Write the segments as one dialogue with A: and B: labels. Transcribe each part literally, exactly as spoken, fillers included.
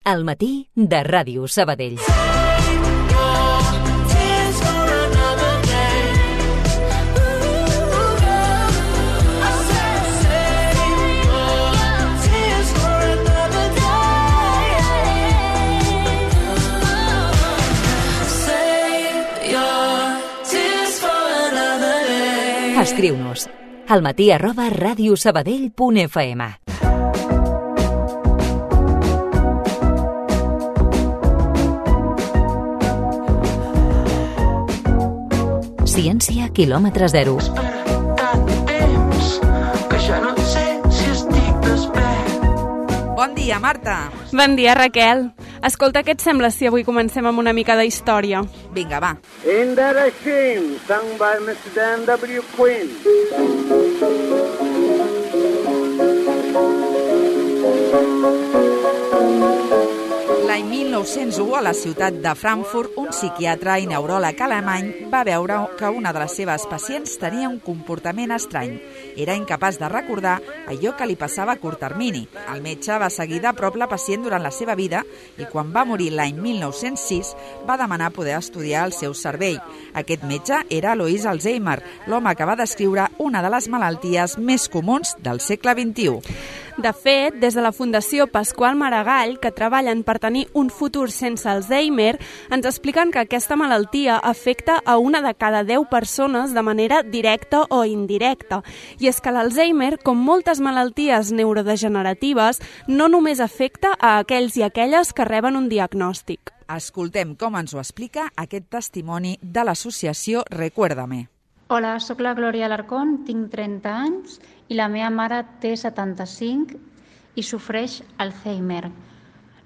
A: al matí de Ràdio Sabadell. Escriu-nos al matí arroba radiosabadell punt f m. Ciència quilòmetre zero.
B: Bon dia, Marta.
C: Bon dia, Raquel. Escolta, què et sembla si avui comencem amb una mica de història?
B: Vinga, va.
D: In That a Shame, sung by mister Dan W. Quinn.
B: L'any mil nou-cents u, a la ciutat de Frankfurt, un psiquiatre i neuròleg alemany va veure que una de les seves pacients tenia un comportament estrany. Era incapaç de recordar allò que li passava a curt termini. El metge va seguir de prop la pacient durant la seva vida i quan va morir l'any mil nou-cents sis va demanar poder estudiar el seu cervell. Aquest metge era Alois Alzheimer, l'home que va descriure una de les malalties més comuns del segle vint-i-u.
C: De fet, des de la Fundació Pasqual Maragall, que treballen per tenir un futur sense Alzheimer, ens expliquen que aquesta malaltia afecta a una de cada deu persones de manera directa o indirecta. I és que l'Alzheimer, com moltes malalties neurodegeneratives, no només afecta a aquells i aquelles que reben un diagnòstic.
B: Escoltem com ens ho explica aquest testimoni de l'associació Recuérdame.
E: Hola, sóc la Glòria Alarcón, tinc trenta anys i la meva mare té setanta-cinc i sofreix Alzheimer.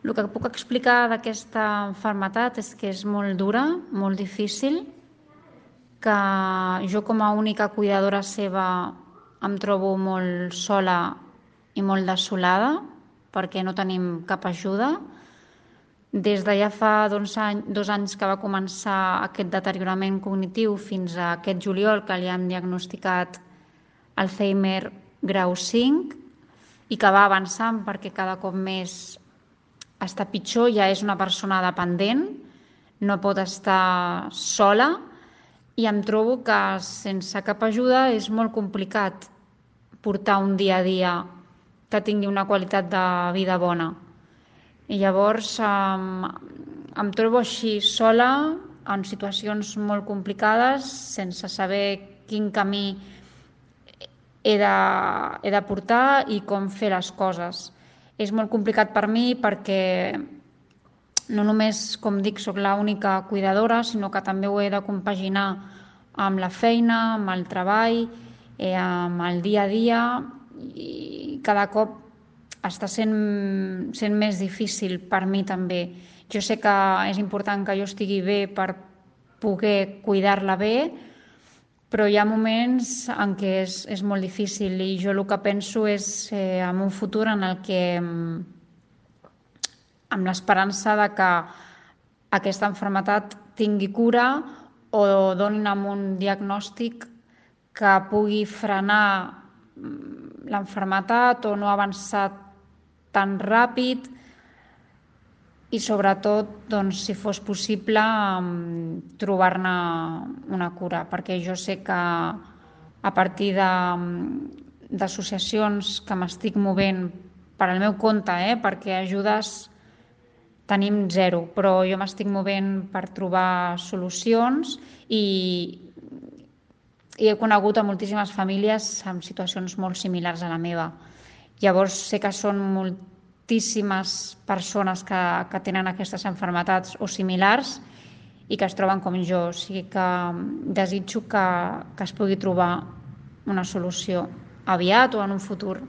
E: El que puc explicar d'aquesta malaltia és que és molt dura, molt difícil, que jo com a única cuidadora seva em trobo molt sola i molt desolada perquè no tenim cap ajuda. Des de ja fa dos anys, dos anys que va començar aquest deteriorament cognitiu fins a aquest juliol que li hem diagnosticat Alzheimer grau cinc i que va avançant perquè cada cop més està pitjor, ja és una persona dependent, no pot estar sola i em trobo que sense cap ajuda és molt complicat portar un dia a dia que tingui una qualitat de vida bona. I llavors em, em trobo així sola, en situacions molt complicades, sense saber quin camí he de, he de portar i com fer les coses. És molt complicat per mi perquè no només, com dic, soc l'única cuidadora, sinó que també ho he de compaginar amb la feina, amb el treball, eh, amb el dia a dia i cada cop està sent, sent més difícil per mi també. Jo sé que és important que jo estigui bé per poder cuidar-la bé, però hi ha moments en què és, és molt difícil i jo el que penso és eh, en un futur en el que, amb l'esperança de que aquesta malaltia tingui cura o donin amb un diagnòstic que pugui frenar la malaltia o no avançar tan ràpid i sobretot, doncs, si fos possible, trobar-ne una cura, perquè jo sé que a partir d'associacions que m'estic movent per al meu compte, eh, perquè ajudes tenim zero, però jo m'estic movent per trobar solucions i, i he conegut a moltíssimes famílies amb situacions molt similars a la meva. Llavors sé que són moltíssimes persones que, que tenen aquestes malalties o similars i que es troben com jo. O sigui que desitjo que, que es pugui trobar una solució aviat o en un futur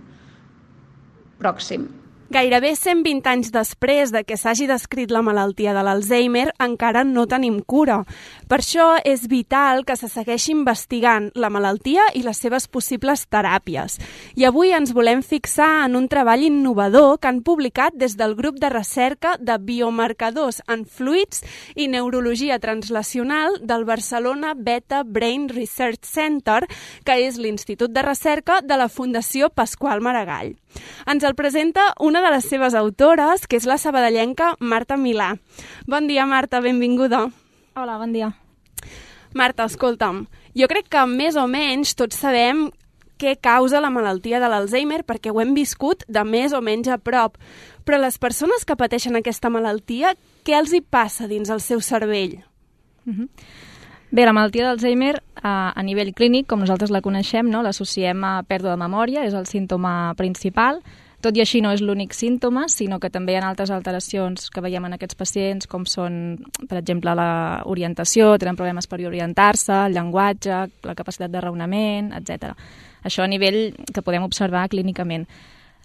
E: pròxim.
C: Gairebé cent vint anys després de que s'hagi descrit la malaltia de l'Alzheimer, encara no tenim cura. Per això és vital que se segueixi investigant la malaltia i les seves possibles teràpies. I avui ens volem fixar en un treball innovador que han publicat des del grup de recerca de biomarcadors en fluids i neurologia translacional del Barcelona Beta Brain Research Center, que és l'Institut de Recerca de la Fundació Pasqual Maragall. Ens el presenta un una de les seves autores, que és la sabadellenca Marta Milà. Bon dia, Marta, benvinguda.
F: Hola, bon dia.
C: Marta, escolta'm, jo crec que més o menys tots sabem què causa la malaltia de l'Alzheimer perquè ho hem viscut de més o menys a prop. Però les persones que pateixen aquesta malaltia, què els hi passa dins el seu cervell?
F: Uh-huh. Bé, la malaltia d'Alzheimer a, a nivell clínic, com nosaltres la coneixem, no? L'associem a pèrdua de memòria, és el símptoma principal. Tot i així no és l'únic símptoma, sinó que també hi ha altres alteracions que veiem en aquests pacients, com són, per exemple, l'orientació, tenen problemes per orientar-se, el llenguatge, la capacitat de raonament, etcètera. Això a nivell que podem observar clínicament.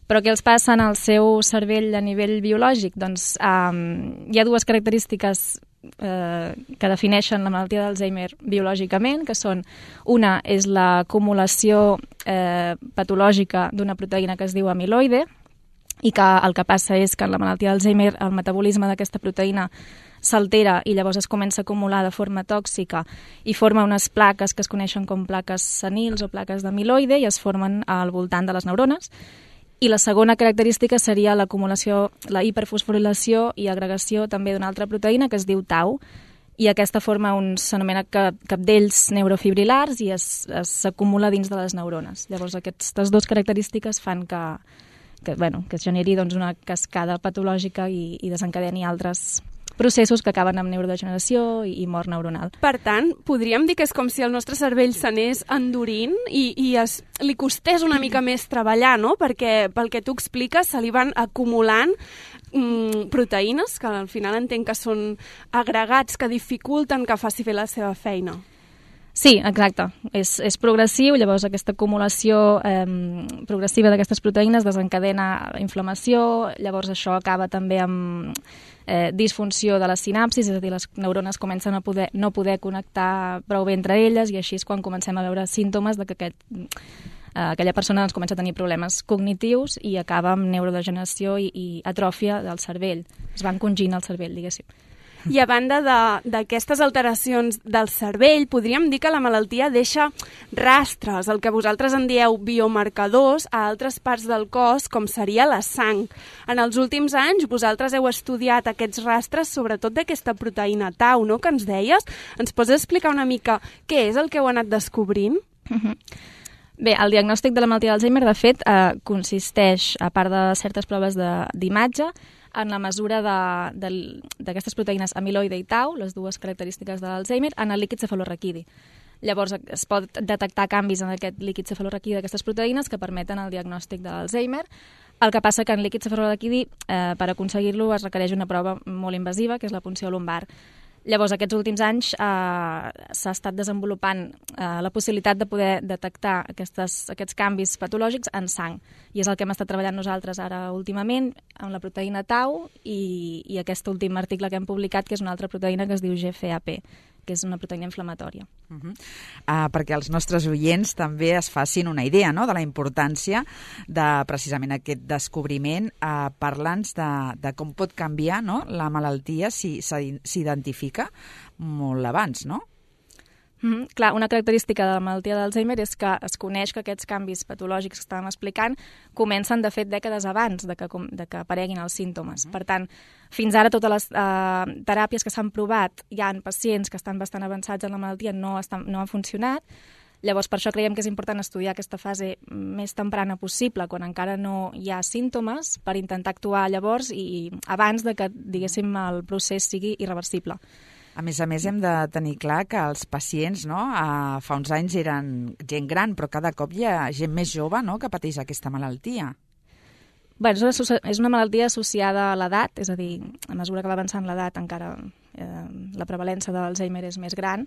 F: Però què els passa en el seu cervell a nivell biològic? Doncs um, hi ha dues característiques eh, que defineixen la malaltia d'Alzheimer biològicament, que són, una és l'acumulació eh, patològica d'una proteïna que es diu amiloide, i que el que passa és que en la malaltia d'Alzheimer el metabolisme d'aquesta proteïna s'altera i llavors es comença a acumular de forma tòxica i forma unes plaques que es coneixen com plaques senils o plaques d'amiloide i es formen al voltant de les neurones. I la segona característica seria l'acumulació, la hiperfosforilació i agregació també d'una altra proteïna que es diu tau, i aquesta forma uns s'anomena capdells neurofibrilars i s'acumula dins de les neurones. Llavors aquestes dues característiques fan que, que, bueno, que es generi doncs, una cascada patològica i, i desencadeni altres processos que acaben amb neurodegeneració i, i mort neuronal.
C: Per tant, podríem dir que és com si el nostre cervell s'anés endurint i, i es, li costés una mica més treballar, no? Perquè, pel que tu expliques, se li van acumulant mm, proteïnes, que al final entenc que són agregats que dificulten que faci fer la seva feina.
F: Sí, exacte. És, és progressiu, llavors aquesta acumulació eh, progressiva d'aquestes proteïnes desencadena inflamació, llavors això acaba també amb eh, disfunció de les sinapsis, és a dir, les neurones comencen a poder, no poder connectar prou bé entre elles i així és quan comencem a veure símptomes de que aquest, eh, aquella persona doncs, comença a tenir problemes cognitius i acaba amb neurodegeneració i, i atròfia del cervell. Es va encongint el cervell, diguéssim.
C: I a banda d'aquestes alteracions del cervell, podríem dir que la malaltia deixa rastres, el que vosaltres en dieu biomarcadors, a altres parts del cos, com seria la sang. En els últims anys, vosaltres heu estudiat aquests rastres, sobretot d'aquesta proteïna tau, no?, que ens deies. Ens pots explicar una mica què és el que heu anat descobrint?
F: Uh-huh. Bé, el diagnòstic de la malaltia d'Alzheimer, de fet, eh, consisteix, a part de certes proves d'imatge, en la mesura d'aquestes proteïnes amiloide i tau, les dues característiques de l'Alzheimer, en el líquid cefalorraquidi. Llavors es pot detectar canvis en aquest líquid cefalorraquidi d'aquestes proteïnes que permeten el diagnòstic de l'Alzheimer. El que passa que en líquid cefalorraquidi, eh, per aconseguir-lo, es requereix una prova molt invasiva, que és la punció lumbar. Llavors, aquests últims anys eh, s'ha estat desenvolupant eh, la possibilitat de poder detectar aquestes, aquests canvis patològics en sang. I és el que hem estat treballant nosaltres ara últimament amb la proteïna tau i, i aquest últim article que hem publicat, que és una altra proteïna que es diu G F A P, que és una proteïna inflamatòria.
B: Uh-huh. uh, perquè els nostres oients també es facin una idea, no?, de la importància de precisament aquest descobriment. Uh, Parla'ns de, de com pot canviar, no?, la malaltia si s'identifica molt abans, no?
F: Mm-hmm. Clar, una característica de la malaltia d'Alzheimer és que es coneix que aquests canvis patològics que estàvem explicant comencen, de fet, dècades abans de que, de que apareguin els símptomes. Mm-hmm. Per tant, fins ara totes les eh, teràpies que s'han provat, hi ha pacients que estan bastant avançats en la malaltia, no, estan, no han funcionat. Llavors, per això creiem que és important estudiar aquesta fase més temprana possible, quan encara no hi ha símptomes, per intentar actuar llavors i abans de que, diguéssim, el procés sigui irreversible.
B: A més a més, hem de tenir clar que els pacients, no?, uh, fa uns anys eren gent gran, però cada cop hi ha gent més jove, no?, que pateix aquesta malaltia.
F: Bé, és una, és una malaltia associada a l'edat, és a dir, a mesura que va avançant l'edat encara eh, la prevalença de l'Alzheimer és més gran.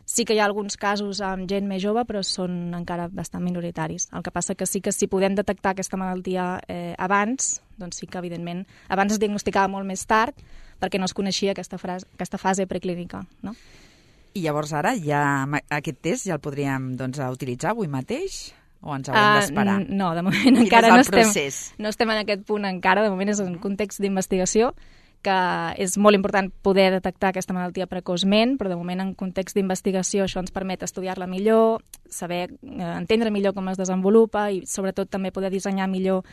F: Sí que hi ha alguns casos amb gent més jove, però són encara bastant minoritaris. El que passa que sí que si podem detectar aquesta malaltia eh, abans, doncs sí que, evidentment, abans es diagnosticava molt més tard, perquè no es coneixia aquesta, frase, aquesta fase preclínica, no?
B: I llavors ara ja aquest test ja el podríem doncs, utilitzar avui mateix? O ens haurem uh, d'esperar?
F: No, de moment encara no estem, no estem en aquest punt encara. De moment és un context d'investigació, que és molt important poder detectar aquesta malaltia precoçment, però de moment en context d'investigació això ens permet estudiar-la millor, saber, eh, entendre millor com es desenvolupa i sobretot també poder dissenyar millor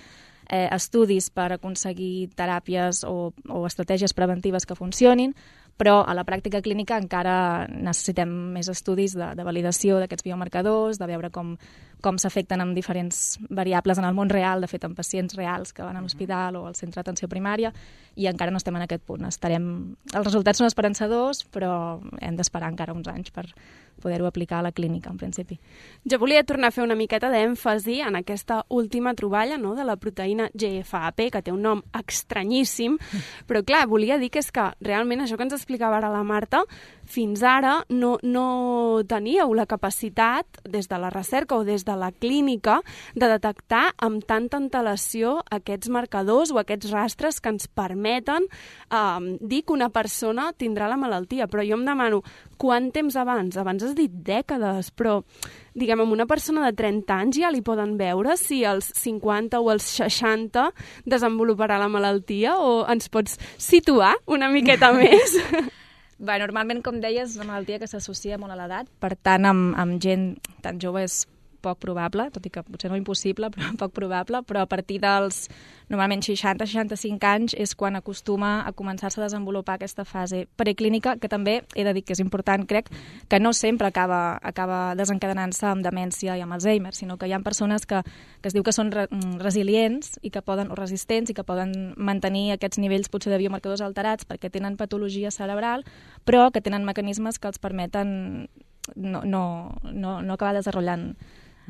F: eh, estudis per aconseguir teràpies o, o estratègies preventives que funcionin, però a la pràctica clínica encara necessitem més estudis de, de validació d'aquests biomarcadors, de veure com, com s'afecten amb diferents variables en el món real, de fet en pacients reals que van a l'hospital o al centre d'atenció primària, i encara no estem en aquest punt. Estarem... Els resultats són esperançadors, però hem d'esperar encara uns anys per poder-ho aplicar a la clínica, en principi.
C: Jo volia tornar a fer una miqueta d'èmfasi en aquesta última troballa, no?, de la proteïna G F A P, que té un nom estranyíssim, però clar, volia dir que és que realment això que ens explicava ara la Marta, fins ara no, no teníeu la capacitat, des de la recerca o des de la clínica, de detectar amb tanta antelació aquests marcadors o aquests rastres que ens permeten eh, dir que una persona tindrà la malaltia. Però jo em demano, quant temps abans? Abans has dit dècades, però diguem, amb una persona de trenta anys ja li poden veure si als cinquanta o als seixanta desenvoluparà la malaltia, o ens pots situar una miqueta més?
F: Bé, normalment, com deies, és una malaltia que s'associa molt a l'edat, per tant, amb, amb gent tan jove és poc probable, tot i que potser no impossible, però poc probable, però a partir dels normalment seixanta a seixanta-cinc anys és quan acostuma a començar-se a desenvolupar aquesta fase preclínica, que també he de dir que és important, crec, que no sempre acaba, acaba desencadenant-se amb demència i amb Alzheimer, sinó que hi ha persones que, que es diu que són re, resilients i que poden, o resistents, i que poden mantenir aquests nivells potser de biomarcadors alterats perquè tenen patologia cerebral, però que tenen mecanismes que els permeten no, no, no, no acabar desenvolupant,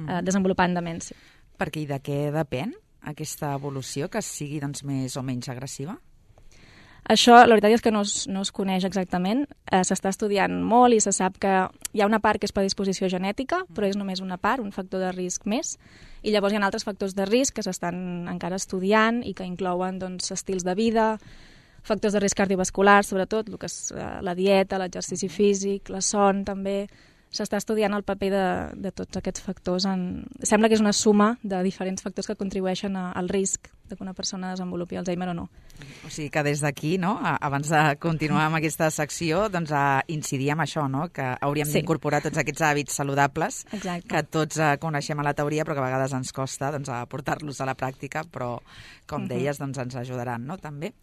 F: eh, desenvolupant demència.
B: Perquè i de què depèn aquesta evolució, que sigui doncs, més o menys agressiva?
F: Això, la veritat és que no es, no es coneix exactament. Eh, s'està estudiant molt i se sap que hi ha una part que és predisposició genètica, però és només una part, un factor de risc més. I llavors hi ha altres factors de risc que s'estan encara estudiant i que inclouen doncs, estils de vida, factors de risc cardiovascular, sobretot, el que és la dieta, l'exercici físic, la son també. S'està estudiant el paper de, de tots aquests factors. En... Sembla que és una suma de diferents factors que contribueixen a, al risc de que una persona desenvolupi Alzheimer o no.
B: O sigui que des d'aquí, no, abans de continuar amb aquesta secció, doncs a incidir en això, no? Que hauríem sí. d'incorporar tots aquests hàbits saludables. Exacte. Que tots uh, coneixem a la teoria, però que a vegades ens costa doncs, a portar-los a la pràctica, però, com uh-huh. deies, doncs, ens ajudaran, no?, també.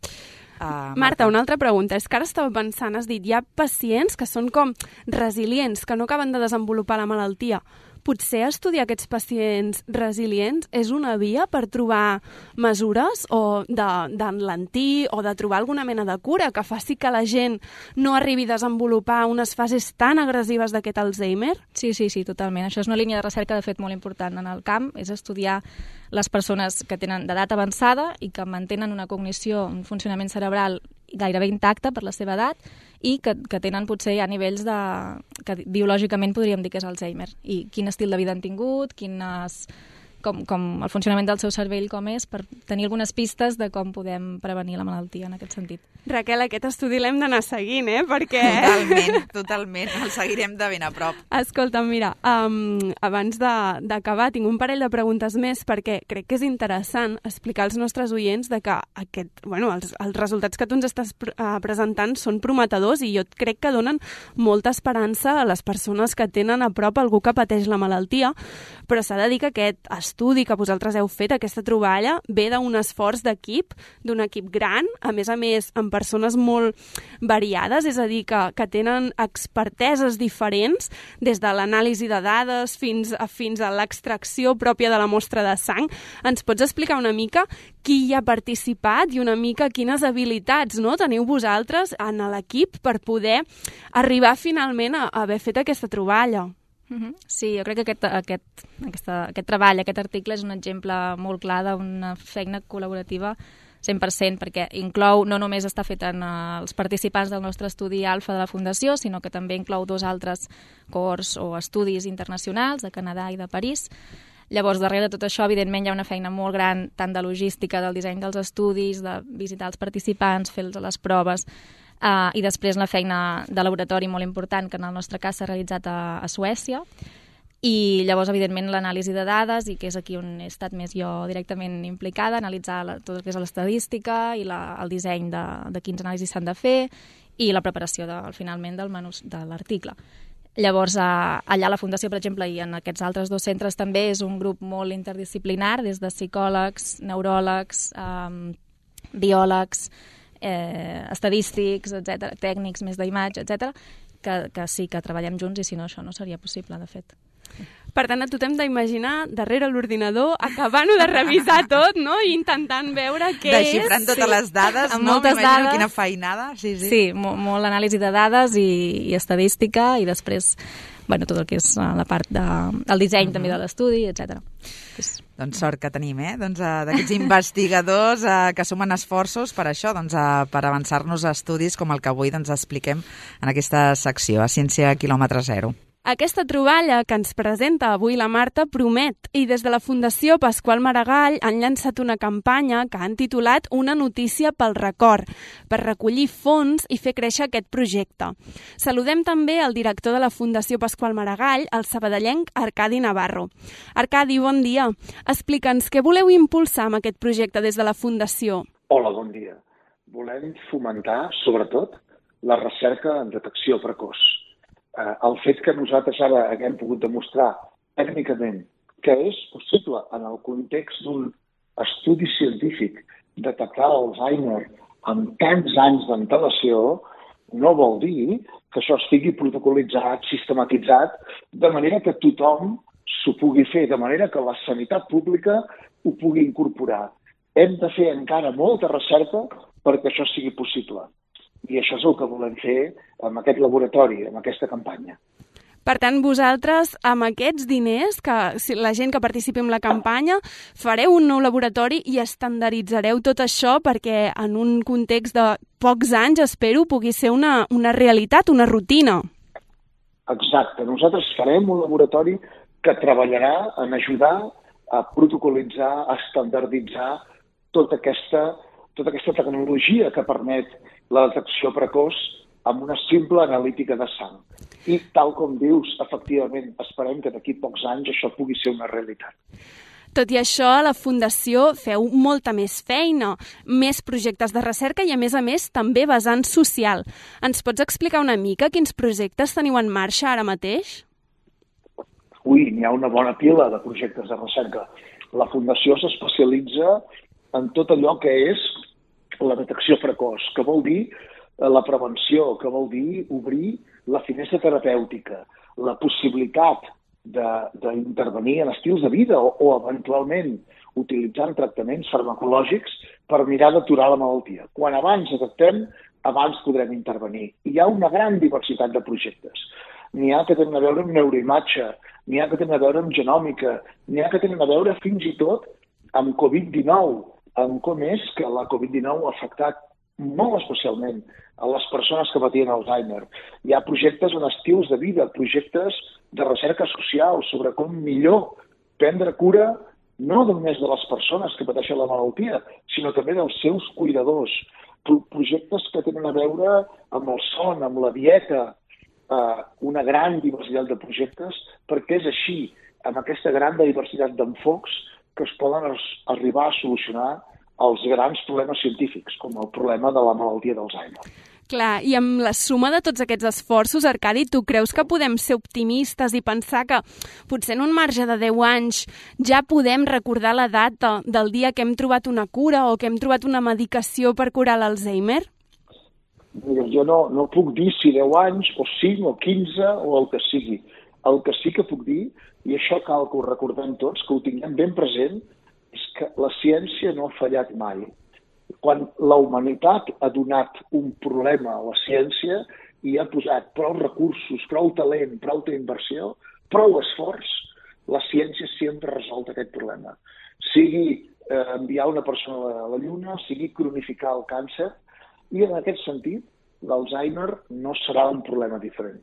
B: Uh, Marta,
C: Marta, una altra pregunta. És que ara estava pensant, has dit, hi ha pacients que són com resilients, que no acaben de desenvolupar la malaltia. Potser estudiar aquests pacients resilients és una via per trobar mesures o d'enlentir o de trobar alguna mena de cura que faci que la gent no arribi a desenvolupar unes fases tan agressives d'aquest Alzheimer?
F: Sí, sí, sí, totalment. Això és una línia de recerca, de fet, molt important en el camp, és estudiar les persones que tenen d'edat avançada i que mantenen una cognició, un funcionament cerebral gairebé intacte per la seva edat i que, que tenen potser a nivells de, que biològicament podríem dir que és Alzheimer, i quin estil de vida han tingut, quines, com, com el funcionament del seu cervell com és, per tenir algunes pistes de com podem prevenir la malaltia en aquest sentit.
C: Raquel, aquest estudi l'hem d'anar seguint, eh? Perquè...
B: Totalment, totalment. El seguirem de ben a prop.
C: Escolta, mira, um, abans d'acabar tinc un parell de preguntes més perquè crec que és interessant explicar als nostres oients de que aquest, bueno, els, els resultats que tu ens estàs uh, presentant són prometedors i jo crec que donen molta esperança a les persones que tenen a prop algú que pateix la malaltia, però s'ha de dir que aquest estudi que vosaltres heu fet, aquesta troballa, ve d'un esforç d'equip, d'un equip gran, a més a més amb persones molt variades, és a dir, que, que tenen experteses diferents, des de l'anàlisi de dades fins a, fins a l'extracció pròpia de la mostra de sang. Ens pots explicar una mica qui hi ha participat i una mica quines habilitats, no, teniu vosaltres en l'equip per poder arribar finalment a, a haver fet aquesta troballa?
F: Sí, jo crec que aquest, aquest, aquesta, aquest treball, aquest article és un exemple molt clar d'una feina col·laborativa cent per cent, perquè inclou, no només està fet en uh, els participants del nostre estudi alfa de la Fundació, sinó que també inclou dos altres cohorts o estudis internacionals de Canadà i de París. Llavors, darrere de tot això, evidentment, hi ha una feina molt gran, tant de logística, del disseny dels estudis, de visitar els participants, fer les proves, uh, i després la feina de laboratori molt important, que en el nostre cas s'ha realitzat a, a Suècia. I llavors, evidentment, l'anàlisi de dades, i que és aquí on he estat més jo directament implicada, analitzar la, tot el que és l'estadística i la, el disseny de, de quins anàlisis s'han de fer i la preparació de, finalment del manus, de l'article. Llavors, allà a la Fundació, per exemple, i en aquests altres dos centres també és un grup molt interdisciplinar, des de psicòlegs, neuròlegs, eh, biòlegs, eh, estadístics, etcètera, tècnics més d'imatge, etcètera, que, que sí que treballem junts i si no això no seria possible, de fet.
C: Per tant, a tu t'hem d'imaginar darrere l'ordinador, acabant-ho de revisar tot, no? I intentant veure què és.
B: Desxifrant totes
C: sí.
B: les dades,
F: amb
B: no?
F: moltes
B: M'imagino
F: dades.
B: Quina feinada. Sí, sí.
F: Sí, molt, molt anàlisi de dades i, i estadística i després, bueno, tot el que és la part de, del disseny mm-hmm. també de l'estudi, etcètera. És...
B: Doncs sort que tenim, eh? Doncs, uh, d'aquests investigadors uh, que sumen esforços per això, doncs, uh, per avançar-nos a estudis com el que avui doncs, expliquem en aquesta secció, a Ciència quilòmetre zero.
C: Aquesta troballa que ens presenta avui la Marta promet i des de la Fundació Pasqual Maragall han llançat una campanya que han titulat Una notícia pel record, per recollir fons i fer créixer aquest projecte. Saludem també el director de la Fundació Pasqual Maragall, el sabadellenc Arcadi Navarro. Arcadi, bon dia. Explica'ns què voleu impulsar amb aquest projecte des de la Fundació.
G: Hola, bon dia. Volem fomentar, sobretot, la recerca en detecció precoç. Eh, el fet que nosaltres ara haguem pogut demostrar tècnicament que és possible en el context d'un estudi científic detectar l'Alzheimer amb tants anys d'antelació no vol dir que això estigui protocolitzat, sistematitzat, de manera que tothom s'ho pugui fer, de manera que la sanitat pública ho pugui incorporar. Hem de fer encara molta recerca perquè això sigui possible. I això és el que volem fer amb aquest laboratori, amb aquesta campanya.
C: Per tant, vosaltres, amb aquests diners, que la gent que participi en la campanya, fareu un nou laboratori i estandarditzareu tot això perquè en un context de pocs anys, espero, pugui ser una, una realitat, una rutina.
G: Exacte. Nosaltres farem un laboratori que treballarà en ajudar a protocolitzar, a estandarditzar tota aquesta, tota aquesta tecnologia que permet la detecció precoç amb una simple analítica de sang. I, tal com dius, efectivament, esperem que d'aquí pocs anys això pugui ser una realitat.
C: Tot i això, a la Fundació feu molta més feina, més projectes de recerca i, a més a més, també vessant social. Ens pots explicar una mica quins projectes teniu en marxa ara mateix?
G: Ui, n'hi ha una bona pila de projectes de recerca. La Fundació s'especialitza en tot allò que és la detecció precoç, que vol dir la prevenció, que vol dir obrir la finestra terapèutica, la possibilitat d'intervenir en estils de vida o, o eventualment utilitzant tractaments farmacològics per mirar d'aturar la malaltia. Quan abans detectem, abans podrem intervenir. Hi ha una gran diversitat de projectes. N'hi ha que tenen a veure amb neuroimatge, n'hi ha que tenen a veure amb genòmica, n'hi ha que tenen a veure fins i tot amb covid dinou, amb com és que la covid dinou ha afectat molt especialment a les persones que patien Alzheimer. Hi ha projectes en estils de vida, projectes de recerca social sobre com millor prendre cura no només de les persones que pateixen la malaltia, sinó també dels seus cuidadors. Pro projectes que tenen a veure amb el son, amb la dieta, eh, una gran diversitat de projectes, perquè és així, amb aquesta gran diversitat d'enfocs, que es poden arribar a solucionar els grans problemes científics, com el problema de la malaltia d'Alzheimer.
C: Clar, i amb la suma de tots aquests esforços, Arcadi, tu creus que podem ser optimistes i pensar que potser en un marge de deu anys ja podem recordar la data del dia que hem trobat una cura o que hem trobat una medicació per curar l'Alzheimer?
G: Mira, jo no, no puc dir si deu anys o cinc o quinze o el que sigui. El que sí que puc dir, i això cal que ho recordem tots, que ho tinguem ben present, és que la ciència no ha fallat mai. Quan la humanitat ha donat un problema a la ciència i ha posat prou recursos, prou talent, prou inversió, prou esforç, la ciència sempre ha resolt aquest problema. Sigui eh, enviar una persona a la Lluna, sigui cronificar el càncer, i en aquest sentit l'Alzheimer no serà un problema diferent.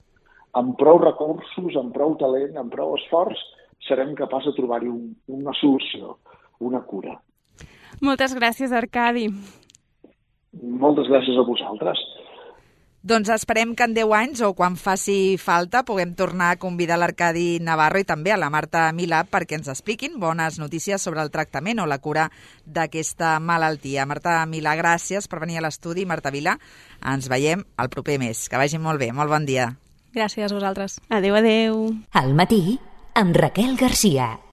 G: Amb prou recursos, amb prou talent, amb prou esforç, serem capaços de trobar-hi un, una solució, una cura.
C: Moltes gràcies, Arcadi.
G: Moltes gràcies a vosaltres.
B: Doncs esperem que en deu anys o quan faci falta puguem tornar a convidar l'Arcadi Navarro i també a la Marta Milà perquè ens expliquin bones notícies sobre el tractament o la cura d'aquesta malaltia. Marta Milà, gràcies per venir a l'estudi. Marta Vila, ens veiem el proper mes. Que vagi molt bé. Molt bon dia.
F: Gràcies a vosaltres.
C: Adéu, adéu.
A: Al matí, amb Raquel Garcia.